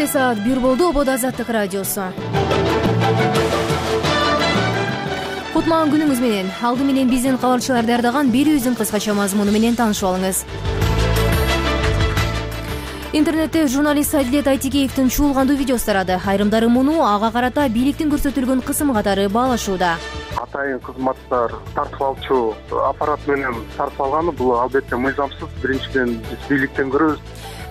Кечте саат 1 болду. Обод Азаттык радиосу. Кутман күнүңүз менен. Алды менен биздин кабарчылар даярдаган берүүбүздүн кыскача мазмуну менен таанышып алыңыз. Интернетте журналист Адилет Айтикеевдин чуулгандуу видеосу тарады. Айрымдары муну ага карата бийликтин көрсөтүлгөн кысымы катары баалашууда. Атайын кызматтар тартып алчу аппарат менен тартып алганы бул албетте мыйзамсыз. Биринчиден биз бийликтен көрөбүз.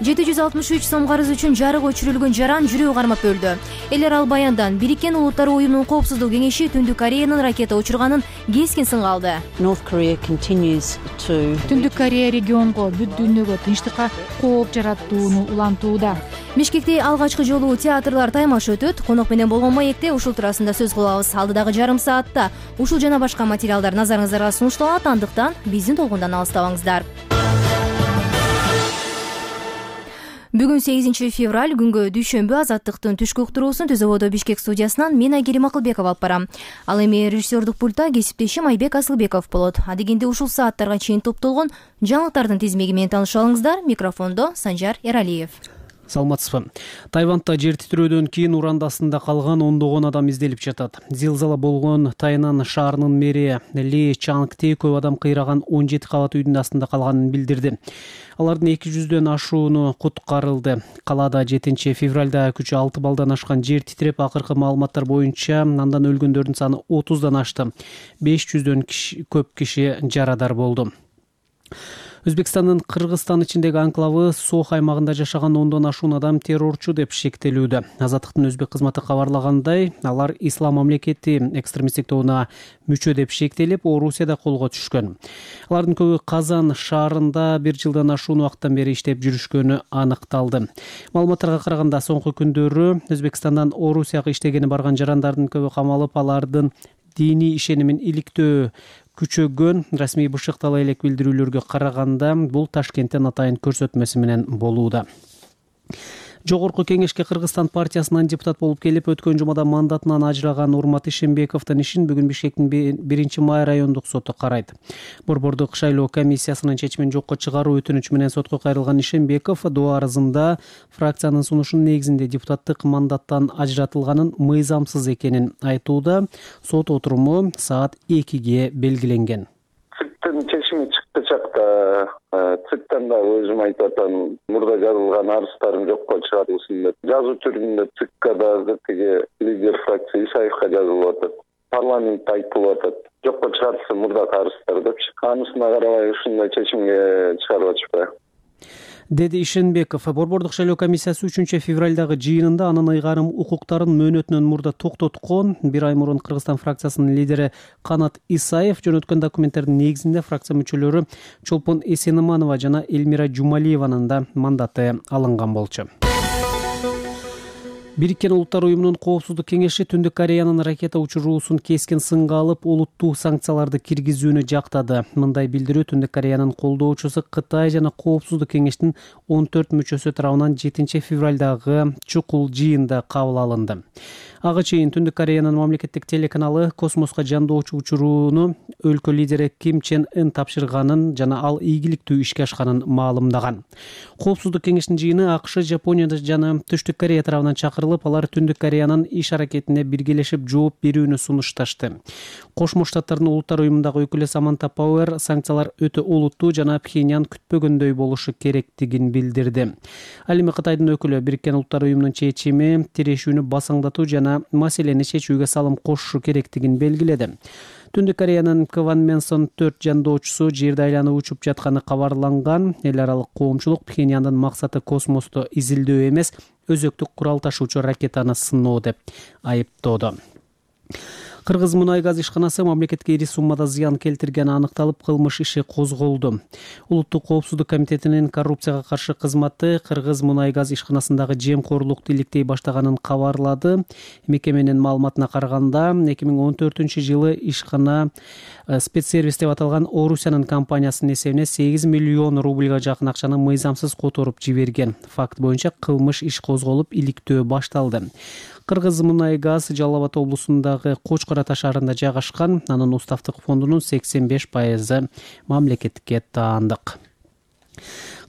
763 сом карыз үчүн жарык өчүрүлгөн жаран жүрөгү кармап өлдү. Элер ал баяндан Бириккен Улуттар уюмунун коопсуздук кеңеши Түндүк Кореянын ракета учурганын кескин сынга алды. Түндүк Корея регионго, бүт дүйнөгө тынчтыкка кооп жаратууну улантууда. Бишкекте алгачкы жолу театрлар таймаш өтөт. Конок менен болгон маекте ушул туурасында сөз кылабыз. Алдыдагы жарым саатта ушул жана башка материалдар назарыңыздарга сунушталат. Андыктан биздин толкундан алыстабаңыздар. Бүгүн 8 февраль күнгө дүйшөмбү. Азаттыктын түшкү уктуруусун Түз ободо Бишкек студиясынан мен Айгерим Акылбеков алып барам. Ал эми режиссердук пультта кесиптешим Айбек Асылбеков болот. Адегенде ушул сааттарга чейин топтолгон жаңылыктардын тизмеги менен таанышып алыңыздар. Микрофондо Санжар Эралиев. Саламатсызбы. Тайвандда жер титирөөдөн кийин урандасында калган ондогон адам изделип жатат. Зилзала болгон Тайнан шаарынын мэри Ли Чангте көп адам кыйраган 17 кабат үйдүн астында калганын билдирди. Алардын 200дөн ашууну куткарылды. Калаада 7 февралда күчү 6 балдан ашкан жер титиреп, акыркы маалыматтар боюнча андан өлгөндөрдүн саны 30дан ашты. 500дөн көп киши жарадар болду. Өзбекстандын Кыргызстан ичиндеги анклавы Сох аймагында жашаган 10дон ашуун адам террорчу деп шектелүүдө. Азаттыктын өзбек кызматы кабарлагандай, алар Ислам мамлекети экстремисттик тобуна мүчө деп шектелип, Орусияда колго түшкөн. Алардын көбү Казан шаарында 1 жылдан ашуун убакыттан бери иштеп жүрүшкөнү аныкталды. Маалыматтарга караганда, соңку күндөрү Өзбекстандан Орусияга иштегени барган жарандардын көбү камалып, алардын диний ишенимин иликтөө күчөгөн. Расмий бышыктала элек билдирүүлөргө караганда, бул Ташкенттен атайын көрсөтмөсү менен болууда. Жогорку кеңешке Кыргызстан партиясынан депутат болуп келип, өткөн жумада мандатынан ажыраган Урмат Ишенбековдун ишин бүгүн Бишкектин 1-май райондук соту карайт. Борбордук шайлоо комиссиясынын чечимин жокко чыгаруу өтүнүчү менен сотко кайрылган Ишенбеков доо арызында фракциянын сунушунун негизинде депутаттык мандаттан ажыратылганын мыйзамсыз экенин айтууда. Сот отуруму саат 2-ге белгиленген. Чечими чыкты чакта ЦИКтан да өзүм айтып атам, мурда жазылган арыздарым жокко чыгарылсын деп. Жазуу түрүндө ЦИКка дагы тиги лидер фракция Исаевка жазылып атат. Парламентте айтылып атат. Жокко чыгарылсын мурдагы арыздар депчи. Анысына карабай ушундай чечимге чыгарып атышпайбы, деди Ишенбеков. Борбордук шайлоо комиссиясы 3 февралдагы жыйынында анын ыйгарым укуктарын мөөнөтүнөн мурда токтоткон. 1 ай мурун Кыргызстан фракциясынын лидери Канат Исаев жөнөткөн документтердин негизинде фракция мүчөлөрү Чолпон Эсениманова жана Элмира Жумалиеванын да мандаты алынган болчу. Бириккен Улуттар уюмунун коопсуздук кеңеши Түндүк Кореянын ракета учуруусун кескин сынга алып, олуттуу санкцияларды киргизүүнү жактады. Мындай билдирүү Түндүк Кореянын колдоочусу Кытай жана коопсуздук кеңештин 14 мүчөсү тарабынан 7 февралдагы чукул жыйында кабыл алынды. Ага чейин Түндүк Кореянын мамлекеттик телеканалы космоско жандоочу учурууну өлкө лидери Ким Чен Ын тапшырганын жана ал ийгиликтүү ишке ашканын маалымдаган. Коопсуздук кеңештин жыйыны АКШ, Жапония жана Түштүк Корея тарабынан чакырылып, алар Түндүк Кореянын иш аракетине биргелешип жооп берүүнү сунушташты. Кошмо Штаттардын Улуттар уюмундагы өкүлү Саманта Пауэр санкциялар өтө олуттуу жана Пхеньян күтпөгөндөй болушу керектигин билдирди. Ал эми Кытайдын өкүлү Бириккен Улуттар уюмунун чечими тирешүүнү басаңдатуу жана маселени чечүүгө салым кошушу керектигин белгиледи. Түндүк Кореянын Кванменсон 4 жандоочусу жерди айланып учуп жатканы кабарланган. Эл аралык коомчулук Пхеньяндын максаты космосту изилдөө эмес, өзөктүк курал ташуучу ракетаны сыноо деп айыптоодо. Кыргыз мунай газ ишканасы мамлекетке ири суммада зыян келтиргени аныкталып, кылмыш иши козголду. Улуттук коопсуздук комитетинин коррупцияга каршы кызматы Кыргыз мунай газ ишканасындагы жемкорлукту иликтей баштаганын кабарлады. Мекеменин маалыматына караганда, 2014-жылы ишкана спецсервис деп аталган Орусиянын компаниясынын эсебине 8 миллион рубльга жакын акчаны мыйзамсыз которуп жиберген. Факт боюнча кылмыш иш козголуп, иликтөө башталды. Кыргыз мунай газ Жалал Абад облусундагы Кочкор Ата шаарында жайгашкан. Анын уставтык фондунун 85% мамлекетке таандык.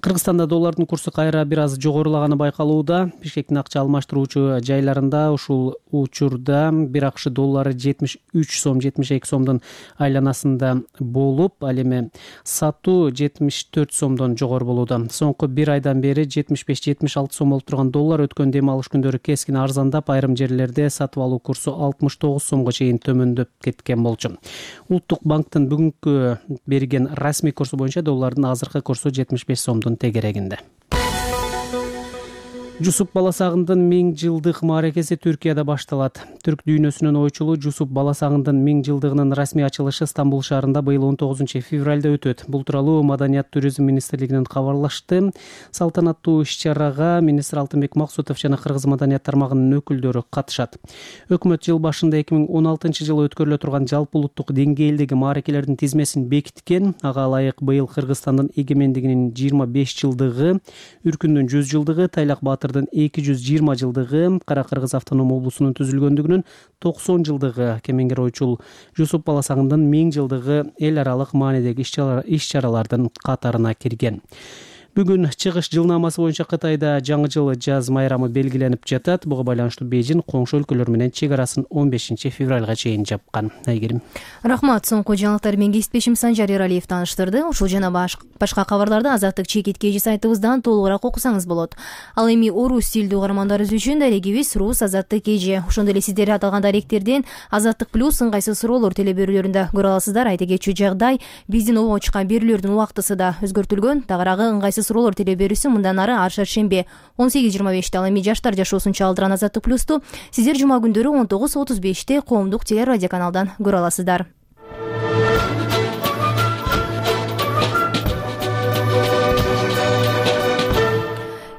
Кыргызстанда доллардын курсу кайра бир аз жогорулаганы байкалууда. Бишкектин акча алмаштыруучу жайларында ушул учурда бир акш доллары 73 сом 72 сомдун айланасында болуп, ал эми сатуу 74 сомдон жогору болууда. Соңку бир айдан бери 75-76 сом болуп турган доллар өткөн дем алыш күндөрү кескин арзандап, айрым жерлерде сатып алуу курсу 69 сомго чейин төмөндөп кеткен болчу. Улуттук банктын бүгүнкү берген расмий курсу боюнча доллардын азыркы курсу 75 сомдун тегерегинде. Жусуп Баласагындын 1000 жылдык мааракеси Түркияда башталат. Түрк дүйнөсүнүн ойчулу Жусуп Баласагындын 1000 жылдыгынын расмий ачылышы Стамбул шаарында быйыл 19 февралда өтөт. Бул тууралуу Маданият туризм министрлигинен кабарлашты. Салтанаттуу иш-чарага министр Алтынбек Максутов жана Кыргыз маданият тармагынын өкүлдөрү катышат. Өкмөт жыл башында 2016 жылы өткөрүлө турган жалпы улуттук деңгээлдеги мааракелердин тизмесин бекиткен. Ага ылайык быйыл Кыргызстандын эгемендигинин 25 жылдыгы, Үркүндүн 100 жылдыгы, Тайлак Баатыр 220 жылдыгы, Кара Кыргыз автоном облусунун түзүлгөндүгүнүн 90 жылдыгы, кемеңгер ойчул Жусуп Баласагындын 1000 жылдыгы эл аралык маанидеги иш-чаралардын катарына кирген. Бүгүн чыгыш жылнамасы боюнча Кытайда жаңы жыл жаз майрамы белгиленип жатат. Буга байланыштуу Бейжин коңшу өлкөлөр менен чек арасын 15 февралга чейин жапкан. Айгерим. Рахмат. Соңку жаңылыктар менен кесиптешим Санжар Эралиев тааныштырды. Ушул жана башка кабарларды Азаттык чекит кежи сайтыбыздан толугураак окусаңыз болот. Ал эми орус тилдүү угармандарыбыз үчүн дарегибиз Рус Азаттык кежи. Ошондой эле сиздер аталган даректерден Азаттык плюс ыңгайсыз суроолор телеберүүлөрүндө көрө аласыздар. Айта кетчү жагдай, биздин обого чыккан берүүлөрдүн убактысы да өзгөртүлгөн. Тагыраагы ыңгайсыз суроолор телеберүүсү мындан ары ар шаршемби 18:25. Ал эми жаштар жашоосун чалдырган Азаттык плюсту сиздер жума күндөрү 19:35 коомдук телерадио каналдан көрө аласыздар.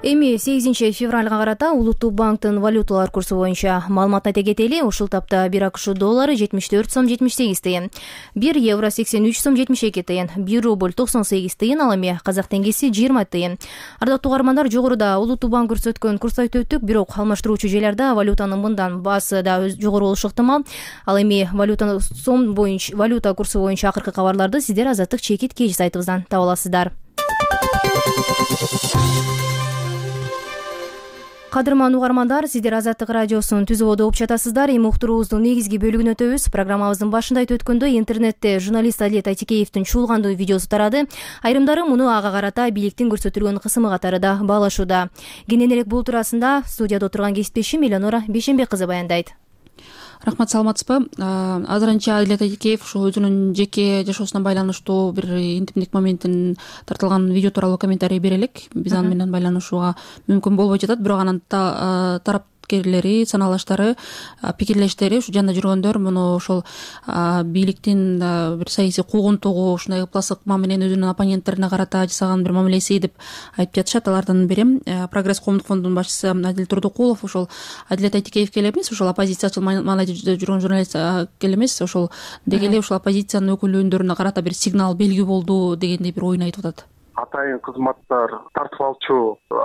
Эми 8 февралга карата Улуттук банктын валюталар курсу боюнча маалымат айта кетели. Ушул тапта 1 акш доллары 74 сом 78 тыйын, 1 евро 83 сом 72 тыйын, 1 рубль 98 тыйын, ал эми казак теңгеси 20 тыйын. Ардактуу угармандар, жогоруда Улуттук банк көрсөткөн курсту айтып өттүк, бирок алмаштыруучу жайларда валютанын мындан баасы да жогору болушу ыктымал. Ал эми валюта курсу боюнча акыркы кабарларды сиздер Азаттык чекит кежи сайтыбыздан таба аласыздар. Кадырман угармандар, сиздер Азаттык радиосун түзүүбөдө угуп жатасыздар. Эми уктуруубуздун негизги бөлүгүнө өтөбүз. Программабыздын башында айтып өткөндөй, интернетте журналист Адилет Айтикеевдин чуулгандуу видеосу тарады. Айрымдары муну ага карата бийликтин көрсөтүлгөн кысымы катары да баалашууда. Кенен элек бул туурасында студияда отурган кесиптешим Элеонора Бейшенбек кызы баяндайт. Рахмат, саламатсызбы? Азырынча Адилет Айтикеев ошо өзүнүн жеке жашоосуна байланыштуу бир интимдик моментин тартылган видео тууралуу комментарий бере элек. Биз аны менен байланышууга мүмкүн болбой жатат, бирок анын тарапташкерлери, саналаштары, пикирлештери, ушу жанында жүргөндөр муну ошол бийликтин бир саясий куугунтугу, ушундай ыплас ыкма менен өзүнүн оппоненттерине карата жасаган бир мамилеси деп айтып жатышат. Алардын бири Прогресс коомдук фондунун башчысы Адил Турдукулов ошол Адилет Айтикеевке эле эмес, ошол оппозициячыл маанайда жүргөн журналистке эле эмес, ошол деги эле ушул оппозициянын өкүлдөрүнө карата бир сигнал, белги болду дегендей бир оюн айтып атат. Атайын кызматтар тартып алчу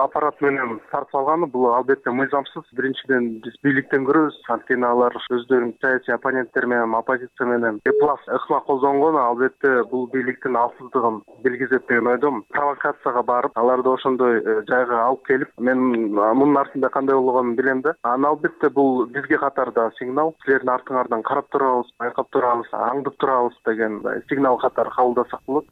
аппарат менен тартып алганы бул албетте мыйзамсыз. Биринчиден биз бийликтен көрөбүз, анткени алар өздөрүнүн саясий оппоненттери менен, оппозиция менен эплас ыкма колдонгону албетте бул бийликтин алсыздыгын билгизет деген ойдомун. Провокацияга барып, аларды ошондой жайга алып келип, мен мунун артында кандай болгонун билем да. Аны албетте бул бизге катар да сигнал. Силердин артыңардан карап турабыз, байкап турабыз, аңдып турабыз деген сигнал катары кабылдасак болот.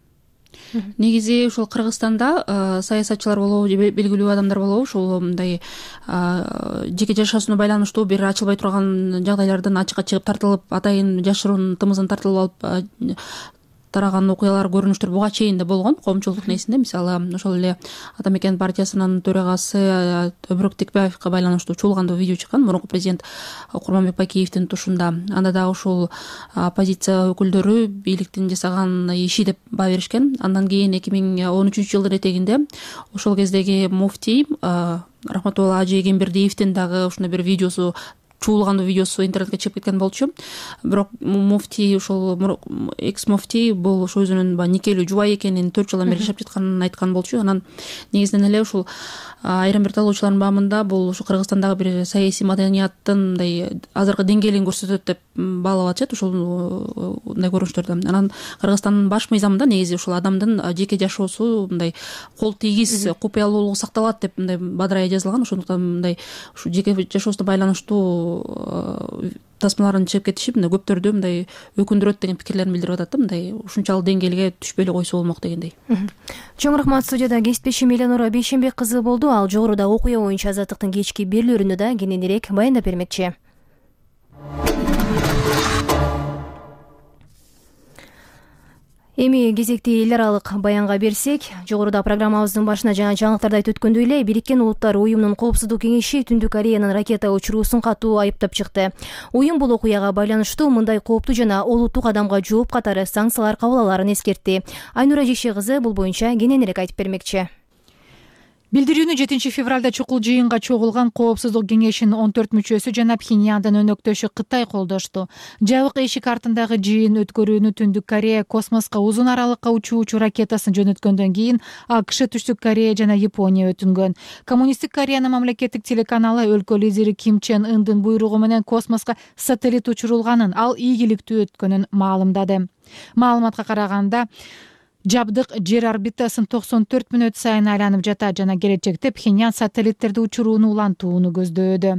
Негизи ушул Кыргызстанда саясатчылар болобу, белгилүү адамдар болобу, ушул мындай жеке жашоосуна байланыштуу бир ачылбай турган жагдайлардан ачыкка чыгып тартылып, атайын жашыруун тымызын тартылып алып тараган окуялар, көрүнүштөр буга чейин да болгон коомчулук несинде. Мисалы, ошол эле Ата Мекен партиясынын төрагасы Өбүрөк Текбаевга байланыштуу чуулгандуу видео чыккан, мурунку президент Курманбек Бакиевдин тушунда. Анда дагы ушул оппозиция өкүлдөрү бийликтин жасаган иши деп баа беришкен. Андан кийин 2013 жылдын этегинде ошол кездеги муфтий Рахматулла Ажи Эгембердиевдин дагы ушундай бир видеосу, чуулгандуу видеосу интернетке чыгып кеткен болчу. Бирок муфтий, ошол экс муфтий бул ошо өзүнүн никелүү жубай экенин 4 жылдан бери жашап жатканын айткан болчу. Анан негизинен эле ушул айрым бир талоочулардын баамында бул ушу Кыргызстандагы бир саясий маданияттын мындай азыркы деңгээлин көрсөтөт деп баалап атышат ушундай көрүнүштөрдө. Анан Кыргызстандын баш мыйзамында негизи ушул адамдын жеке жашоосу мындай кол тийгиз купуялуулугу сакталат деп мындай бадырайы жазылган. Ошондуктан мындай ушу жеке жашоосуна байланыштуу тасмаларын чыгып кетиши мындай көптөрдү мындай өкүндүрөт деген пикирлерин билдирип атат да, мындай ушунчалык деңгээлге түшпөй эле койсо болмок дегендей. Чоң рахмат. Студияда кесиптешим Элеонора Бейшенбек кызы болду. Ал жогоруда окуя боюнча Азаттыктын кечки берүүлөрүндө да кененирээк баяндап бермекчи. Эми кезекти эл аралык баянга берсек, жогоруда программабыздын башына жана жаңылыктарда айтып өткөндөй эле Бириккен Улуттар уюмунун Коопсуздук кеңеши Түндүк Кореянын ракета учуруусун катуу айыптап чыкты. Уюм бул окуяга байланыштуу мындай кооптуу жана олуттуу кадамга жооп катары санкциялар кабыл алаарын эскертти. Айнура Жекше кызы бул боюнча кененирээк айтып бермекчи. Билдирүүнү 7 февралда чукул жыйынга чогулган Коопсуздук кеңешинин 14 мүчөсү жана Пхеньяндын өнөктөшү Кытай колдошту. Жабык эшик артындагы жыйын өткөрүүнү Түндүк Корея космоско узун аралыкка учуучу ракетасын жөнөткөндөн кийин АКШ, Түштүк Корея жана Япония өтүнгөн. Коммунисттик Кореянын мамлекеттик телеканалы өлкө лидери Ким Чен Ындын буйругу менен космоско сателлит учурулганын, ал ийгиликтүү өткөнүн маалымдады. Маалыматка караганда, жабдык жер орбитасын 94 мүнөт сайын айланып жатат жана келечекте Пхеньян сателлиттерди учурууну улантууну көздөөдө.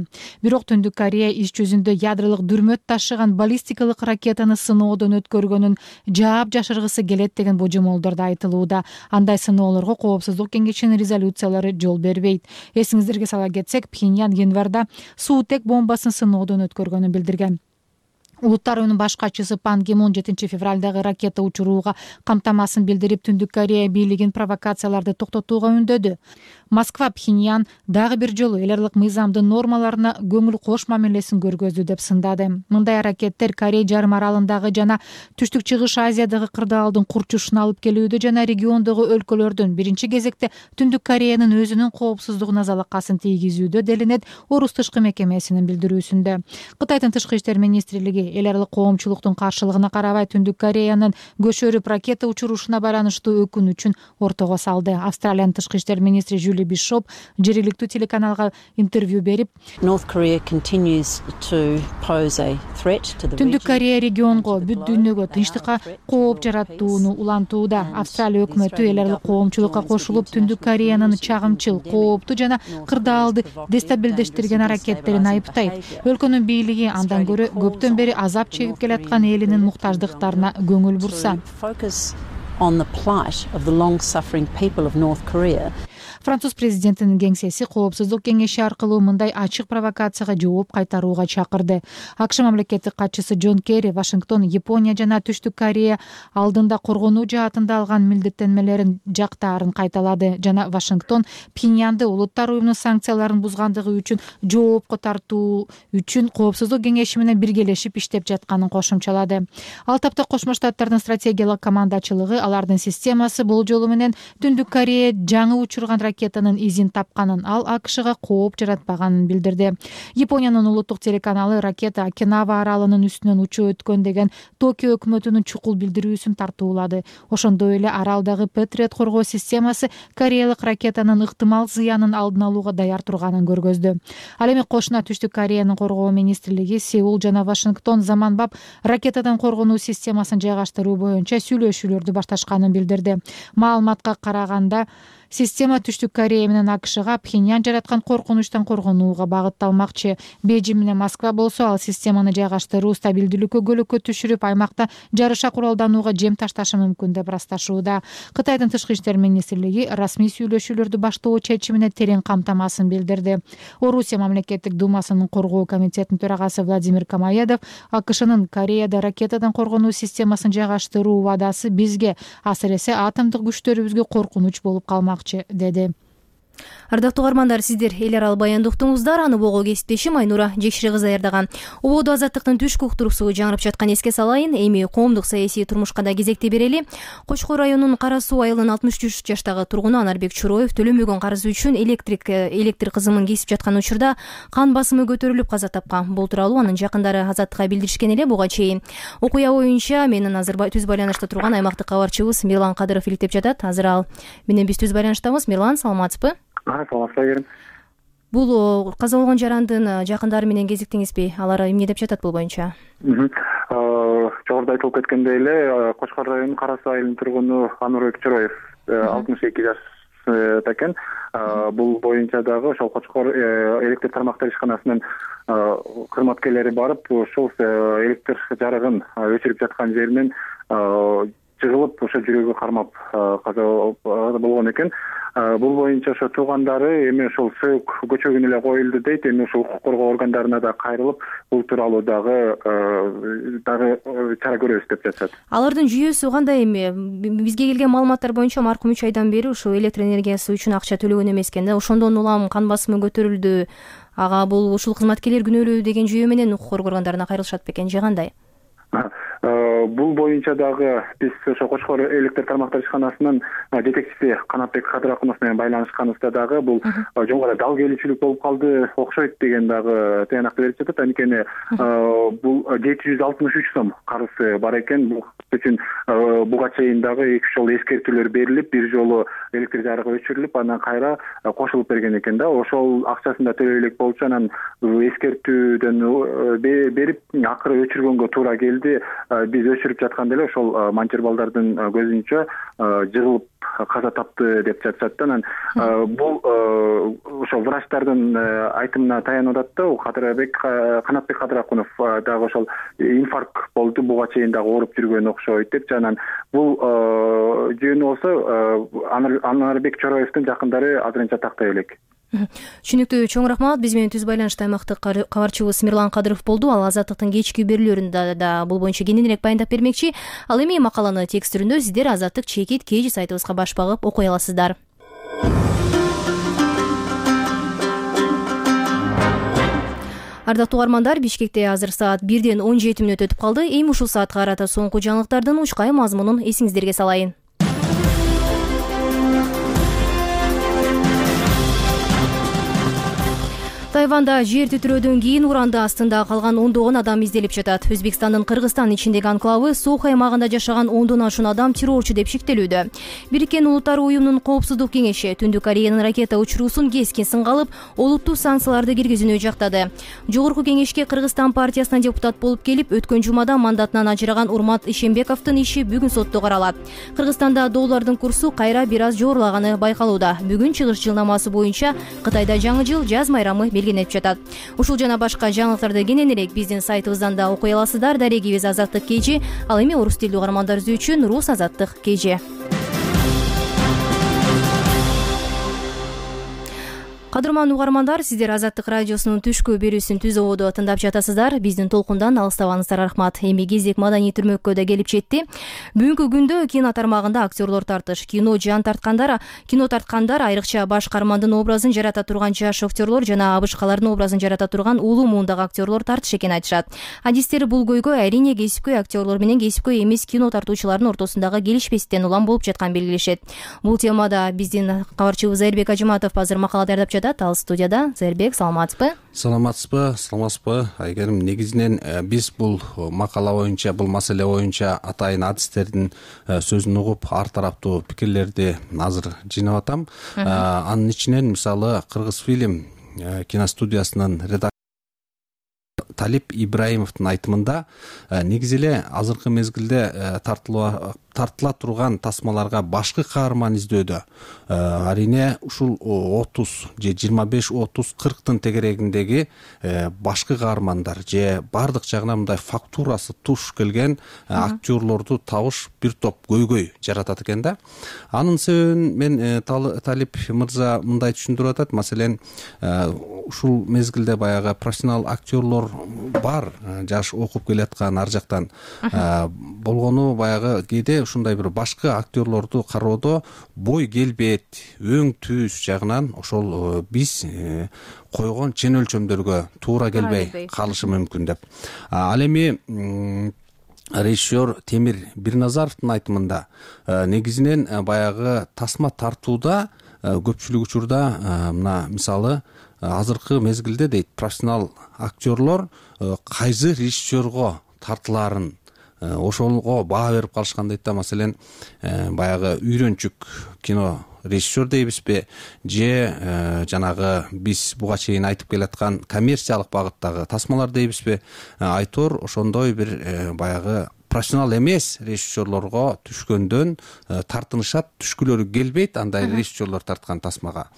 Бирок Түндүк Корея иш жүзүндө ядролук дүрмөт ташыган баллистикалык ракетаны сыноодон өткөргөнүн жаап жашыргысы келет деген божомолдор да айтылууда. Андай сыноолорго Коопсуздук кеңешинин резолюциялары жол бербейт. Эсиңиздерге сала кетсек, Пхеньян январда суутек бомбасын сыноодон өткөргөнүн билдирген. Улуттар уюмунун баш катчысы Пан Ги Мун 7 февралдагы ракета учурууга камтамасын билдирип, Түндүк Корея бийлигин провокацияларды токтотууга үндөдү. Москва Пхеньян дагы бир жолу эл аралык мыйзамдын нормаларына көңүл кош мамилесин көргөздү деп сындады. Мындай аракеттер Корей жарым аралындагы жана Түштүк Чыгыш Азиядагы кырдаалдын курчушуна алып келүүдө жана региондогу өлкөлөрдүн биринчи кезекте Түндүк Кореянын өзүнүн коопсуздугуна залакасын тийгизүүдө делинет Орус тышкы мекемесинин билдирүүсүндө. Кытайдын тышкы иштер министрлиги эл аралык коомчулуктун каршылыгына карабай Түндүк Кореянын көчөрүп ракета учуруушуна байланыштуу өкүнүчүн ортого салды. Австралиянын тышкы иштер министри Жюли Бишоп жергиликтүү телеканалга интервью берип, Түндүк Корея регионго, бүт дүйнөгө тынчтыкка кооп жаратууну улантууда. Австралия өкмөтү эл аралык коомчулукка кошулуп, Түндүк Кореянын чагымчыл, кооптуу жана кырдаалды дестабилдештирген аракеттерин айыптайт. Өлкөнүн бийлиги андан көрө көптөн бери азап чегип келаткан элинин муктаждыктарына көңүл бурса. Француз президентинин кеңсеси Коопсуздук кеңеши аркылуу мындай ачык провокацияга жооп кайтарууга чакырды. АКШ мамлекеттик катчысы Джон Керри Вашингтон, Япония жана Түштүк Корея алдында коргонуу жаатында алган милдеттенмелерин жактаарын кайталады жана Вашингтон Пхеньянды улуттар уюмунун санкцияларын бузгандыгы үчүн жоопко тартуу үчүн Коопсуздук кеңеши менен биргелешип иштеп жатканын кошумчалады. Ал тапта Кошмо Штаттардын стратегиялык командачылыгы алардын системасы болжолу менен Түндүк Корея жаңы учурган ракетанын изин тапканын, ал АКШга кооп жаратпаганын билдирди. Япониянын улуттук телеканалы ракета Окинава аралынын үстүнөн учуп өткөн деген Токио өкмөтүнүн чукул билдирүүсүн тартуулады. Ошондой эле аралдагы Патриот коргоо системасы кореялык ракетанын ыктымал зыянын алдын алууга даяр турганын көргөздү. Ал эми кошуна Түштүк Кореянын коргоо министрлиги Сеул жана Вашингтон заманбап ракетадан коргонуу системасын жайгаштыруу боюнча сүйлөшүүлөрдү башташканын билдирди. Маалыматка караганда, система Түштүк Корея менен АКШга Пхеньян жараткан коркунучтан коргонууга багытталмакчы. Бейжин менен Москва болсо ал системаны жайгаштыруу стабилдүүлүккө көлөккө түшүрүп, аймакта жарыша куралданууга жем ташташы мүмкүн деп ырасташууда. Кытайдын тышкы иштер министрлиги расмий сүйлөшүүлөрдү баштоо чечимине терең камтамасын билдирди. Орусия мамлекеттик думасынын коргоо комитетинин төрагасы Владимир Камаедов АКШнын Кореяда ракетадан коргонуу системасын жайгаштыруу убадасы бизге, асыресе атомдук күчтөрүбүзгө коркунуч болуп калмак деди. Ардактуу угармандар, сиздер эл аралык баянды уктуңуздар. Аны бого кесиптешим Айнура Жекшири кызы даярдаган. Убоодо Азаттыктын түшкү уктуруусу жаңырып жаткан эске салайын. Эми коомдук саясий турмушка да кезекти берели. Кочкор районунун Кара Суу айылынын 63 жаштагы тургуну Анарбек Чуроев төлөнбөгөн карызы үчүн электр кызымын кесип жаткан учурда кан басымы көтөрүлүп каза тапкан. Бул тууралуу анын жакындары Азаттыкка билдиришкен эле. Буга чейин окуя боюнча менин азыр түз байланышта турган аймактык кабарчыбыз Мирлан Кадыров иликтеп жатат. Азыр ал менен биз түз байланыштабыз. Мирлан, саламатсызбы? Саламатсызбы. Бул каза болгон жарандын жакындары менен кезиктиңизби? Алар эмне деп жатат бул боюнча? Жогоруда айтылып кеткендей эле, Кочкор районунун Кара Суу айылынын тургуну Анурбек Чороев 62 жашта экен. Бул боюнча дагы ошол Кочкор электр тармактар ишканасынын кызматкерлери барып, ушул электр жарыгын өчүрүп жаткан жеринен жыгылып, ошо жүрөгү кармап каза болгон экен. Бул боюнча ошо туугандары эми ошол сөөк көчөгүнө эле коюлду дейт. Эми ушул укук коргоо органдарына да кайрылып, бул тууралуу дагы чара көрөбүз деп жатышат. Алардын жүйөсү кандай эми? Бизге келген маалыматтар боюнча маркум 3 айдан бери ушул электр энергиясы үчүн акча төлөгөн эмес экен да. Ошондон улам кан басымы көтөрүлдү. Ага бул ушул кызматкерлер күнөөлүү деген жүйө менен укук коргоо органдарына кайрылышат бекен же кандай? Бул боюнча дагы биз ошо Кочкор электр тармактар ишканасынын жетекчиси Канатбек Кадыракунов менен байланышканыбызда дагы бул жогору дал келүүчүлүк болуп калды, окшойт деген дагы таянакты берип жатат. Анткени бул 763 сом карызы бар экен. Бул үчүн буга чейин дагы 2 жолу эскертүүлөр берилип, бир жолу электр жарыгы өчүрүлүп, андан кайра кошулуп берген экен да. Ошол акчасын да төлөй элек болчу, анан эскертүүдөн берип акыры өчүргөнгө туура келди. Биз өчүрүп жатканда эле ошол манчер балдардын көзүнчө жыгылып каза тапты деп жатышат. Анан бул ошо врачтардын айтымына таянып атат да. Канатбек Кадыракунов дагы ошол инфаркт болду, буга чейин дагы ооруп жүргөн окшойт деп. Анан бул жөнү болсо Анарбек Чороевдин жакындары азырынча тактай элек. Түшүнүктүү, чоң рахмат. Биз менен Түз байланышта аймактык кабарчыбыз Мирлан Кадыров болду. Ал Азаттыктын кечки берүүлөрүндө да бул боюнча кененирээк баяндап бермекчи. Ал эми макаланы текст түрүндө сиздер Азаттык чекит KG сайтыбызга баш багып окуй аласыздар. Ардактуу угармандар, Бишкекте азыр саат 1:17 өтүп калды. Эми ушул саатка карата соңку жаңылыктардын учкай мазмунун эсиңиздерге салайын. Тайванда жер титирөөдөн кийин уранда астында калган ондогон адам изделип жатат. Өзбекстандын Кыргызстан ичиндеги анклавы Сохо аймагында жашаган 10дон ашуун адам террорчу деп шектелүүдө. Бириккен Улуттар уюмунун Коопсуздук кеңеши Түндүк Кореянын ракета учуруусун кескин сынга алып, олуттуу санкцияларды киргизүүнү жактады. Жогорку кеңешке Кыргызстан партиясынан депутат болуп келип, өткөн жумада мандатынан ажыраган Урмат Ишембековдун иши бүгүн сотто каралат. Кыргызстанда доллардын курсу кайра бир аз жогорулаганы байкалууда. Бүгүн чыгыш жылнамасы боюнча Кытайда жаңы жыл жаз майрамы белгиленип жатат. Ушул жана башка жаңылыктарды кененирээк биздин сайтыбыздан да окуй аласыздар. Дарегибиз Азаттык KG. Ал эми орус тилдүү угармандар үчүн Рус Азаттык KG. Кадырман угармандар, сиздер Азаттык радиосунун түшкү берүүсүн Түз ободо тыңдап жатасыздар. Биздин толкундан алыстабаңыздар, рахмат. Эми кезек маданий түрмөккө да келип жетти. Бүгүнкү күндө кино тармагында актерлор тартыш. Кино тарткандар айрыкча баш каармандын образын жарата турган жаш актерлор жана абышкалардын образын жарата турган улуу муундагы актерлор тартыш экенин айтышат. Адистер бул көйгөй айрине кесипкөй актерлор менен кесипкөй эмес кино тартуучулардын ортосундагы келишпестиктен улам болуп жатканын белгилешет. Бул темада биздин кабарчыбыз Зайырбек Ажыматов азыр макала даярдап жатат. Ал студияда. Зайырбек, саламатсызбы? Саламатсызбы? Айгерим, негизинен биз бул макала боюнча, бул маселе боюнча атайын адистердин сөзүн угуп, ар тараптуу пикирлерди азыр жыйнап атам. Анын ичинен мисалы Кыргыз фильм киностудиясынын редактору Талип Ибраимовдун айтымында негизи эле азыркы мезгилде тартыла турган тасмаларга башкы каарман издөөдө арине ушул 30 же 25-30-40тын тегерегиндеги башкы каармандар же бардык жагынан мындай фактурасы туш келген актерлорду табыш бир топ көйгөй жаратат экен да. Анын себебин мен Талип мырза мындай түшүндүрүп атат. Маселен, ушул мезгилде баягы профессионал актерлор бар, жаш окуп келаткан ар жактан болгону баягы кээде ушундай бир башкы актерлорду кароодо бой келбет, өң түз жагынан ошол биз койгон чен өлчөмдөргө туура келбей калышы мүмкүн деп. Ал эми режиссер Темир Бирназаровдун айтымында негизинен баягы тасма тартууда көпчүлүк учурда мына мисалы азыркы мезгилде дейт профессионал актерлор кайсы режиссерго тартылаарын ошого баа берип калышкан дейт да. Маселен баягы үйрөнчүк кино режиссер дейбизби же жанагы биз буга чейин айтып келаткан коммерциялык багыттагы тасмалар дейбизби, Айтор ошондой бир баягы профессионал эмес режиссерлорго түшкөндөн тартынышат, түшкүлөрү келбейт андай режиссерлор тарткан тасмага.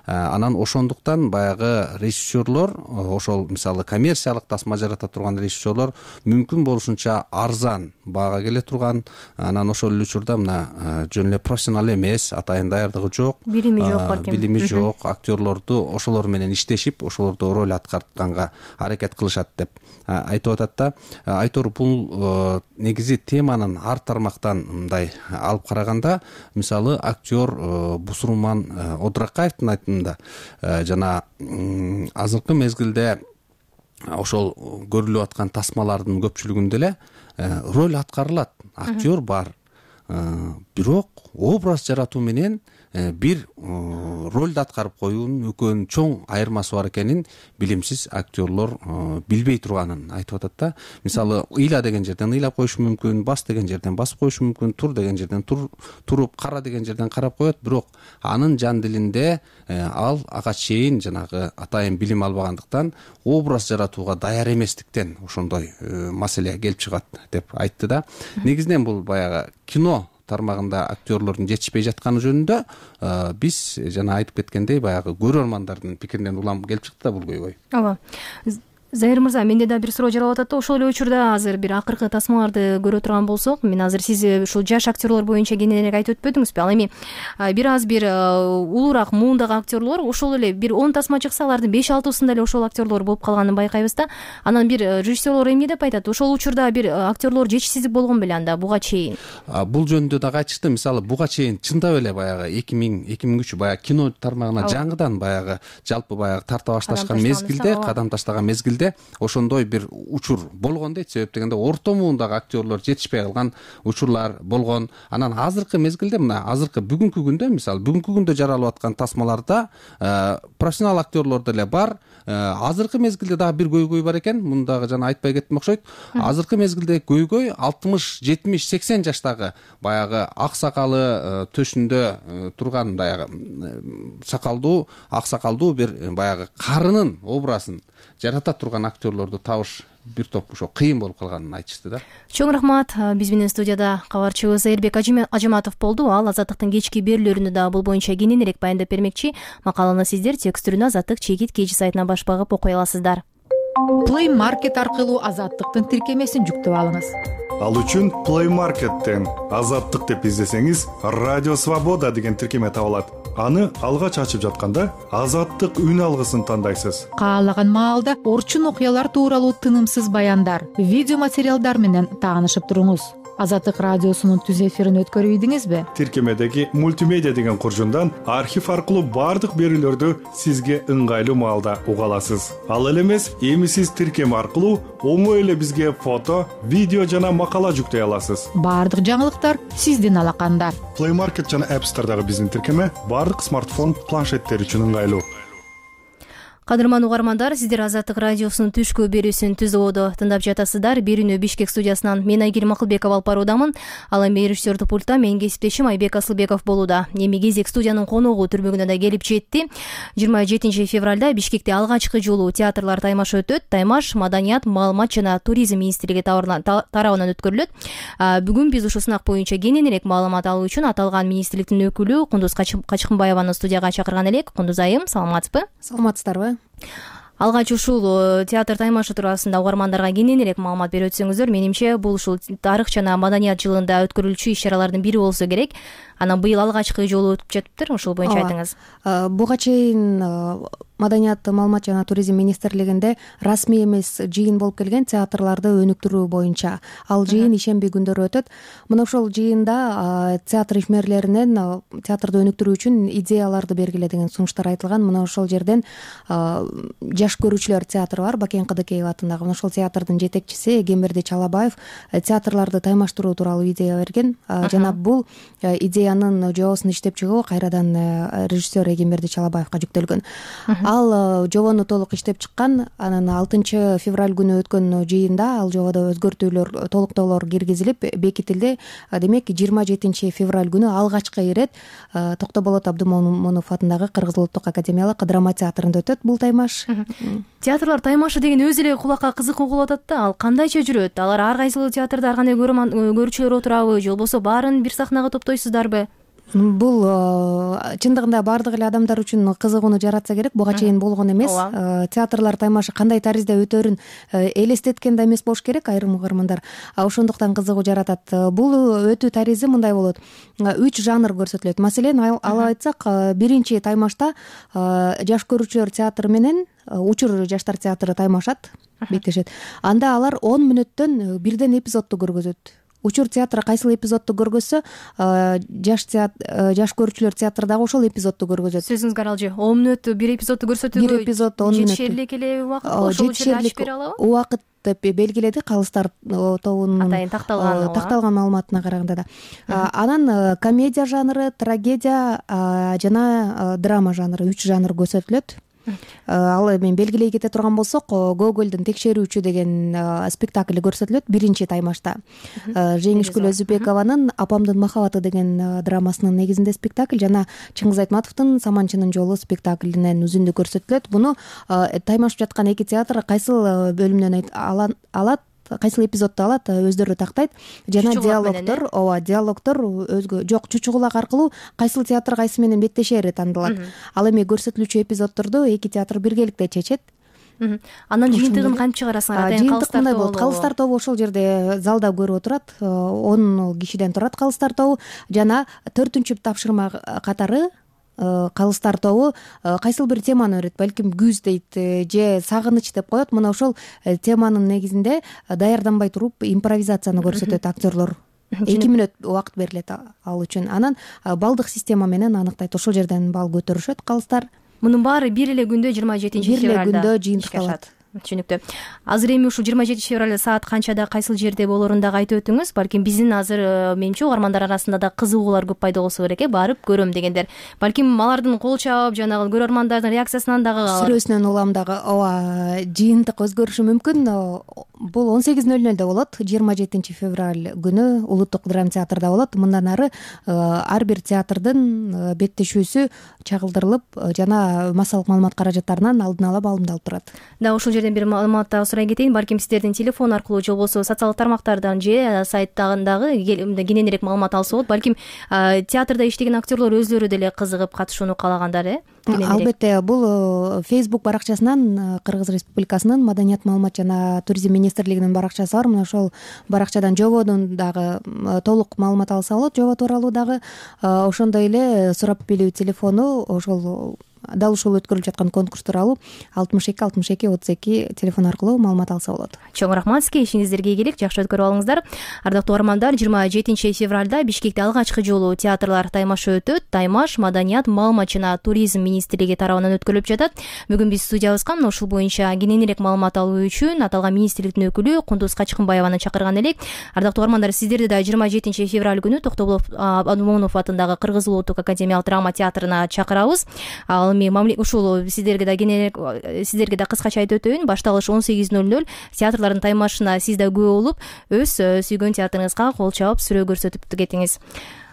Анан ошондуктан баягы режиссерлор, ошол мисалы коммерциялык тасма жарата турган режиссерлор мүмкүн болушунча арзан баага келе турган, анан ошол эле учурда мына жөн эле профессионал эмес, атайын даярдыгы жок, билими жок балким, билими жок актерлорду ошолор менен иштешип, ошолорду роль аткартканга аракет кылышат деп айтып атат да. Айтор бул негизи теманын ар тармактан мындай алып караганда, мисалы актер Бусурман Одуракаевдин айтымында жана азыркы мезгилде ошол көрүлүп аткан тасмалардын көпчүлүгүндө эле роль аткарылат, актер бар, бирок образ жаратуу менен бир ролду аткарып коюунун экөөнүн чоң айырмасы бар экенин билимсиз актерлор билбей турганын айтып атат да. Мисалы ыйла деген жерден ыйлап коюшу мүмкүн, бас деген жерден басып коюшу мүмкүн, тур деген жерден туруп, кара деген жерден карап коет, бирок анын жан дилинде ал ага чейин жанагы атайын билим албагандыктан образ жаратууга даяр эместиктен ошондой маселе келип чыгат деп айтты да. Негизинен бул баягы кино тармагында актерлордун жетишпей жатканы жөнүндө биз жана айтып кеткендей баягы көрөрмандардын пикиринен улам келип чыкты да бул көйгөй. Ооба. Зайыр мырза, менде да бир суроо жаралып атат да. Ошол эле учурда азыр бир акыркы тасмаларды көрө турган болсок, мен азыр сиз ушул жаш актерлор боюнча кененирээк айтып өтпөдүңүзбү? Ал эми бир аз бир улуураак муундагы актерлор ошол эле бир 10 тасма чыкса, алардын 5-6-сында эле ошол актерлор болуп калганын байкайбыз да. Анан бир режиссерлор эмне деп айтат? Ошол учурда бир актерлор жетишсиздик болгон беле анда буга чейин? Бул жөнүндө дагы айтышты. Мисалы буга чейин чындап эле баягы 2000-2003 баягы кино тармагына жаңыдан баягы жалпы баягы тарта башташкан мезгилде, кадам таштаган мезгилде ошондой бир учур болгон дейт. Себеп дегенде орто муундагы актерлор жетишпей калган учурлар болгон. Анан азыркы мезгилде, мына азыркы бүгүнкү күндө, мисалы бүгүнкү күндө жаралып аткан тасмаларда профессионал актерлор деле бар. Азыркы мезгилде дагы бир көйгөй бар экен. Муну дагы жана айтпай кеттим окшойт. Азыркы мезгилде көйгөй 60, 70, 80 жаштагы баягы ак сакалы төшүндө турган баягы сакалдуу, ак сакалдуу бир баягы карынын образын жарата турган актерлорду табыш бир топ ошо кыйын болуп калганын айтышты да. Чоң рахмат. Биз менен студияда кабарчыбыз Айырбек Ажыматов болду. Ал Азаттыктын кечки берүүлөрүндө да бул боюнча кененирээк баяндап бермекчи. Макаланы сиздер текстүрүнө Азаттык чекит KG сайтына баш багып окуй аласыздар. Play Market аркылуу Азаттыктын тиркемесин жүктөп алыңыз. Ал үчүн Play Market'тен Азаттык деп издесеңиз, Радио Свобода деген тиркеме табылат. Аны алгач ачып жатканда Азаттык үн алгысын тандайсыз. Каалаган маалда орчун окуялар тууралуу тынымсыз баяндар, видео материалдар менен таанышып туруңуз. Азаттык радиосунун түз эфирин өткөрүп ийдиңизби? Тиркемедеги мультимедиа деген куржундан архив аркылуу бардык берүүлөрдү сизге ыңгайлуу маалда уга аласыз. Ал эле эмес, эми сиз тиркеме аркылуу оңой эле бизге фото, видео жана макала жүктөй аласыз. Бардык жаңылыктар сиздин алаканда. Play Market жана App Store'дагы биздин тиркеме бардык смартфон, планшеттер үчүн ыңгайлуу. Кадырман угармандар, сиздер Азаттык радиосунун түшкү берүүсүн Түз Ободо тыңдап жатасыздар. Берүүнү Бишкек студиясынан мен Айгерим Акылбеков алып баруудамын. Ал эми режиссердик пультта менин кесиптешим Айбек Асылбеков болууда. Эми кезек студиянын коногу түрмөгүнө да келип жетти. 27 февралда Бишкекте алгачкы жолу театрлар таймашы өтөт. Таймаш Маданият, маалымат жана туризм министрлиги тарабынан өткөрүлөт. Бүгүн биз ушул сынак боюнча кененирээк маалымат алуу үчүн аталган министрликтин өкүлү Кундуз Качкынбаеваны студияга чакырган элек. Кундуз айым, саламатсызбы? Саламатсыздарбы? Алгач ушул театр таймашы туурасында угармандарга кененирээк маалымат берип өтсөңүздөр. Менимче бул ушул тарых жана маданият жылында өткөрүлчү иш-чаралардын бири болсо керек. Анан быйыл алгачкы жолу өтүп жатыптыр. Ошол боюнча айтыңыз. Буга чейин Маданият, маалымат жана туризм министрлигинде расмий эмес жыйын болуп келген театрларды өнүктүрүү боюнча. Ал жыйын ишемби күндөрү өтөт. Мына ошол жыйында театр ишмерлеринен театрды өнүктүрүү үчүн идеяларды бергиле деген сунуштар айтылган. Мына ошол жерден жаш көрүүчүлөр театры бар, Бакен Кыдыкеев атындагы. Мына ошол театрдын жетекчиси Эгемберди Чалабаев театрларды таймаштыруу тууралуу идея берген. Жана бул идея окуянын жобосун иштеп чыгуу кайрадан режиссер Эгемберди Чалабаевга жүктөлгөн. Ал жобону толук иштеп чыккан. Анан 6 февраль күнү өткөн жыйында ал жободо өзгөртүүлөр, толуктоолор киргизилип бекитилди. Демек 27 февраль күнү алгачкы ирет Токтоболот Абдымомунов атындагы Кыргыз улуттук академиялык драма театрында өтөт бул таймаш. Театрлар таймашы деген өзү эле кулакка кызык угулуп атат да. Ал кандайча жүрөт? Алар ар кайсыл театрда ар кандай көрүүчүлөр отурабы же болбосо баарын бир сахнага топтойсуздарбы? Бул чындыгында баардык эле адамдар үчүн кызыгууну жаратса керек. Буга чейин болгон эмес. Театрлар таймашы кандай таризде өтөрүн элестеткен да эмес болуш керек айрым угармандар. Ошондуктан кызыгуу жаратат. Бул өтүү таризи мындай болот. 3 жанр көрсөтүлөт. Маселен, алып айтсак, биринчи таймашта жаш көрүүчүлөр театры менен учур жаштар театры таймашат, беттешет. Анда алар 10 мүнөттөн бирден эпизодду көргөзөт. Учур театры кайсыл эпизодду көргөзсө, жаш көрүүчүлөр театры дагы ошол эпизодду көргөзөт. Сөзүңүз каралжы. 10 мүнөт бир эпизодду көрсөтүүгө бир эпизод 10 мүнөт. Жетишерлик эле убакыт, ошол жерде ачып бере алабы? Убакыт деп белгиледи Калыстар тобунун атайын такталган маалыматына караганда да. Анан комедия жанры, трагедия жана драма жанры 3 жанр көрсөтүлөт. Ал эми белгилей кете турган болсок, Гогольдун Текшерүүчү деген спектакль көрсөтүлөт биринчи таймашта. Жеңишгүл Өзүбекованын Апамдын махабаты деген драмасынын негизинде спектакль жана Чыңгыз Айтматовдун Саманчынын жолу спектаклинен үзүндү көрсөтүлөт. Буну таймашып жаткан эки театр кайсыл бөлүмдөн алат, кайсыл эпизодду алат, өздөрү тактайт. Жана диалогдор, диалогдор өзгө жок, чучугулак аркылуу кайсыл театр кайсы менен беттешери тандалат. Ал эми көрсөтүлүүчү эпизоддорду эки театр биргеликте чечет. Анан жыйынтыгын кантип чыгарасыңар? Жыйынтык мындай болот. Калыстар тобу ошол жерде залда көрүп отурат. 10 кишиден турат Калыстар тобу жана 4-чү тапшырма катары Калыстар тобу кайсыл бир теманы берет, балким күз дейт же сагыныч деп коет. Мына ошол теманын негизинде даярданбай туруп импровизацияны көрсөтөт актерлор. 2 мүнөт убакыт берилет ал үчүн. Анан балдык система менен аныктайт. Ошол жерден балл көтөрүшөт Калыстар. Мунун баары бир эле күндө 27 февралда. Бир эле күндө жыйынтыкталат. Түшүнүктүү. Азыр эми ушул 27 февралда саат канчада кайсыл жерде болоорун дагы айтып өтүңүз. Балким биздин азыр менимче угармандар арасында да кызыгуулар көп пайда болсо керек, барып көрөм дегендер. Балким алардын кол чаап, жанагы көрөрмандардын реакциясынан дагы сүрөсүнөн улам дагы жыйынтык өзгөрүшү мүмкүн. Бул 18:00 болот. 27 февраль күнү Улуттук драма театрда болот. Мындан ары ар бир театрдын беттешүүсү чагылдырылып жана массалык маалымат каражаттарынан алдын ала баалымдалып турат. Да, ошол жерден бир маалымат дагы сурай кетейин. Балким сиздердин телефон аркылуу же болбосо социалдык тармактардан же сайттагы кененирээк маалымат алса болот. Балким театрда иштеген актерлор өзлөрү деле кызыгып катышууну каалагандар, Албетте, бул Facebook баракчасынан Кыргыз Республикасынын Маданият, маалымат жана туризм министрлигинин баракчасы бар. Мына ошол баракчадан жободун дагы толук маалымат алса болот, жобо тууралуу дагы. Ошондой эле сурап билүү телефону ошол дал ушул өткөрүлүп жаткан конкурс тууралуу 62-62-32 телефон аркылуу маалымат алса болот. Чоң рахмат сизге, ишиңиздерге ийгилик, жакшы өткөрүп алыңыздар. Ардактуу угармандар, 27 февралда Бишкекте алгачкы жолу театрлар таймашы өтөт. Таймаш Маданият, маалымат жана туризм министрлиги тарабынан өткөрүлүп жатат. Бүгүн биз студиябызга ушул боюнча кененирээк маалымат алуу үчүн аталган министрликтин өкүлү Кундуз Качкынбаеваны чакырган элек. Ардактуу угармандар, сиздерди да 27 февраль күнү Токтоболот Абдымомунов атындагы Кыргыз улуттук академиялык драма театрына чакырабыз. Ал эми ушул сиздерге да кыскача айтып өтөйүн. Башталыш 18:00. Театрлардын таймашына сиз да күбө болуп, өз сүйгөн театрыңызга кол чаап сүрөө көрсөтүп кетиңиз.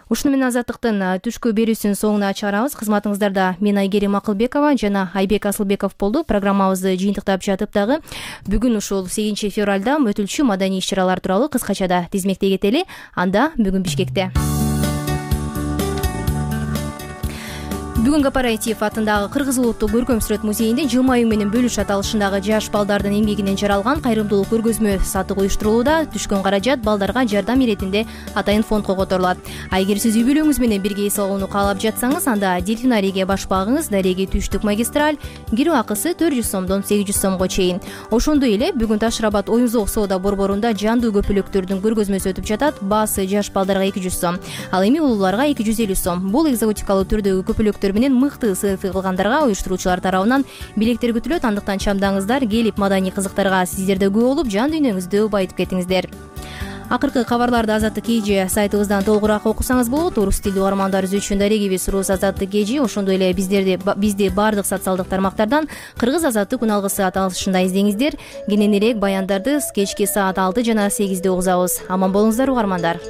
Ушуну менен Азаттыктын түшкү берүүсүнүн соңуна чыгарабыз. Кызматыңыздарда мен Айгерим Акылбекова жана Айбек Асылбеков болду. Программабызды жыйынтыктап жатып дагы бүгүн ушул 8 февралда өтүлчү маданий иш-чаралар тууралуу кыскача тизмектей кетели. Анда бүгүн Бишкекте Бүгүн Гапараев атындагы Кыргыз улуттук көркөм сүрөт музейинде жылмаюу менен бөлүш аталышындагы жаш балдардын эмгегинен жаралган кайрымдуулук көргөзмө сатып уюштурулууда. Түшкөн каражат балдарга жардам иретинде атайын фондко которулат. Эгер сиз үй бүлөңүз менен бирге эс алууну каалап жатсаңыз, анда дельфинарийге башпагыңыз Дареги түштүк магистраль, кирүү акысы 400 сомдон 800 сомго чейин. Ошондой эле бүгүн Таш-Рабат оюн-зоок соода борборунда жандуу көпөлөктөрдүн көргөзмөсү өтүп жатат. Баасы жаш балдарга 200 сом, ал эми улууларга 250 сом. Бул экзотикалуу түрдөгү көпөлөктөр менен мыкты селфи кылгандарга уюштуруучулар тарабынан билеттер күтүлөт. Андыктан чамдаңыздар, келип маданий кызыктарга сиздер да күбө болуп, жан дүйнөңүздү байытып кетиңиздер. Акыркы кабарларды Азаттык KG сайтыбыздан толугураак окусаңыз болот. Орус тилдүү угармандарыбыз үчүн дарегибиз Рус Азаттык KG, ошондой эле бизди баардык социалдык тармактардан Кыргыз Азаттык күн алгысы аталышында издеңиздер. Кененирээк баяндарды кечки саат 6 жана 8 угузабыз. Аман болуңуздар угармандар.